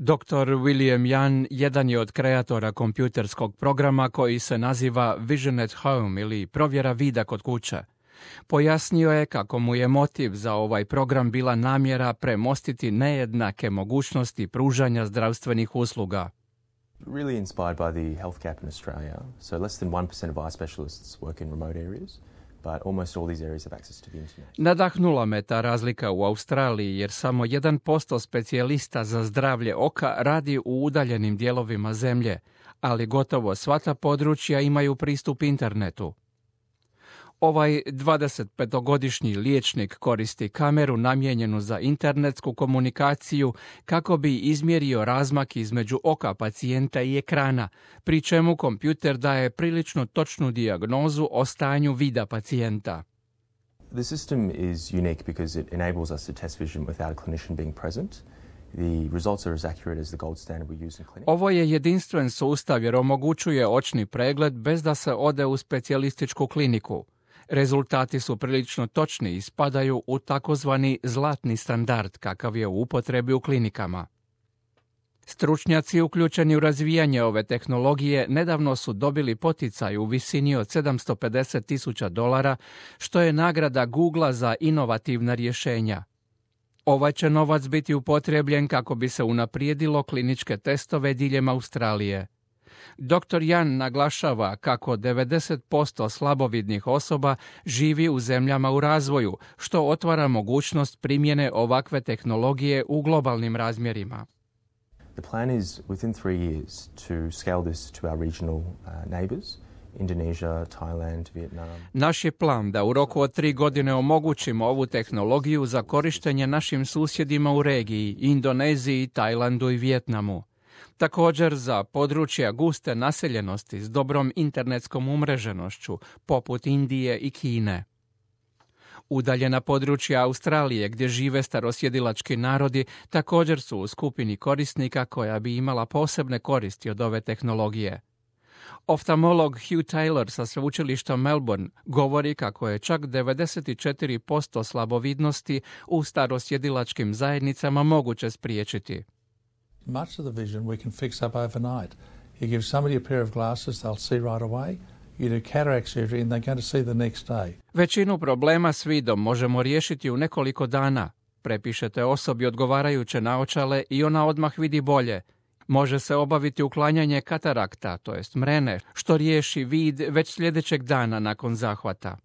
Dr. William Yan jedan je od kreatora kompjuterskog programa koji se naziva Vision at Home ili provjera vida kod kuće. Pojasnio je kako mu je motiv za ovaj program bila namjera premostiti nejednake mogućnosti pružanja zdravstvenih usluga. Really inspired by the health gap in Australia. So less than 1% of eye specialists work in remote areas, but almost all these areas have access to the internet. Nadahnula me ta razlika u Australiji jer samo 1% specijalista za zdravlje oka radi u udaljenim dijelovima zemlje, ali gotovo sva ta područja imaju pristup internetu. Ovaj 25-godišnji liječnik koristi kameru namijenjenu za internetsku komunikaciju kako bi izmjerio razmak između oka pacijenta i ekrana, pri čemu kompjuter daje prilično točnu dijagnozu o stanju vida pacijenta. The system is unique because it enables us to test vision without a clinician being present. The results are as accurate as the gold standard we use in clinic. Ovo je jedinstven sustav jer omogućuje očni pregled bez da se ode u specijalističku kliniku. Rezultati su prilično točni i spadaju u takozvani zlatni standard kakav je u upotrebi u klinikama. Stručnjaci uključeni u razvijanje ove tehnologije nedavno su dobili poticaj u visini od $750,000, što je nagrada Googlea za inovativna rješenja. Ovaj će novac biti upotrebljen kako bi se unaprijedilo kliničke testove diljem Australije. Dr. Yan naglašava kako 90% slabovidnih osoba živi u zemljama u razvoju, što otvara mogućnost primjene ovakve tehnologije u globalnim razmjerima. The plan is within 3 years to scale this to our regional neighbors, Indonesia, Thailand, Vietnam. Naš je plan da u roku od 3 godine omogućimo ovu tehnologiju za korištenje našim susjedima u regiji, Indoneziji, Tajlandu i Vijetnamu. Također za područja guste naseljenosti s dobrom internetskom umreženošću, poput Indije i Kine. Udaljena područja Australije gdje žive starosjedilački narodi također su u skupini korisnika koja bi imala posebne koristi od ove tehnologije. Oftalmolog Hugh Taylor sa sveučilišta Melbourne govori kako je čak 94% slabovidnosti u starosjedilačkim zajednicama moguće spriječiti. Much of the vision we can fix up overnight. You give somebody a pair of glasses, they'll see right away. You do cataract surgery and they're going to see the next day. Većinu problema s vidom možemo riješiti u nekoliko dana. Prepišete osobi odgovarajuće naočale i ona odmah vidi bolje. Može se obaviti uklanjanje katarakta, to jest mrene, što riješi vid već sljedećeg dana nakon zahvata.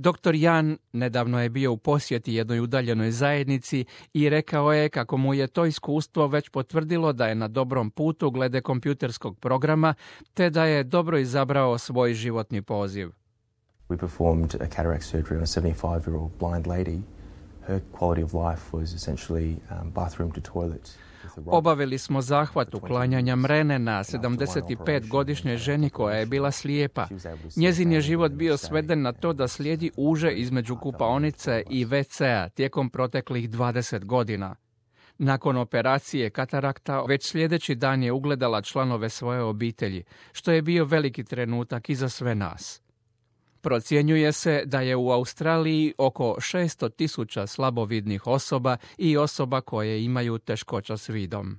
Dr. Yan nedavno je bio u posjeti jednoj udaljenoj zajednici i rekao je kako mu je to iskustvo već potvrdilo da je na dobrom putu glede kompjuterskog programa, te da je dobro izabrao svoj životni poziv. We performed a cataract surgery on a 75-year-old blind lady. Her quality of life was essentially bathroom to toilet. Obavili smo zahvat uklanjanja mrene na 75-godišnjoj ženi koja je bila slijepa. Njezin je život bio sveden na to da slijedi uže između kupaonice i WC-a tijekom proteklih 20 godina. Nakon operacije katarakta, već sljedeći dan je ugledala članove svoje obitelji, što je bio veliki trenutak i za sve nas. Procjenjuje se da je u Australiji oko 600,000 slabovidnih osoba i osoba koje imaju teškoća s vidom.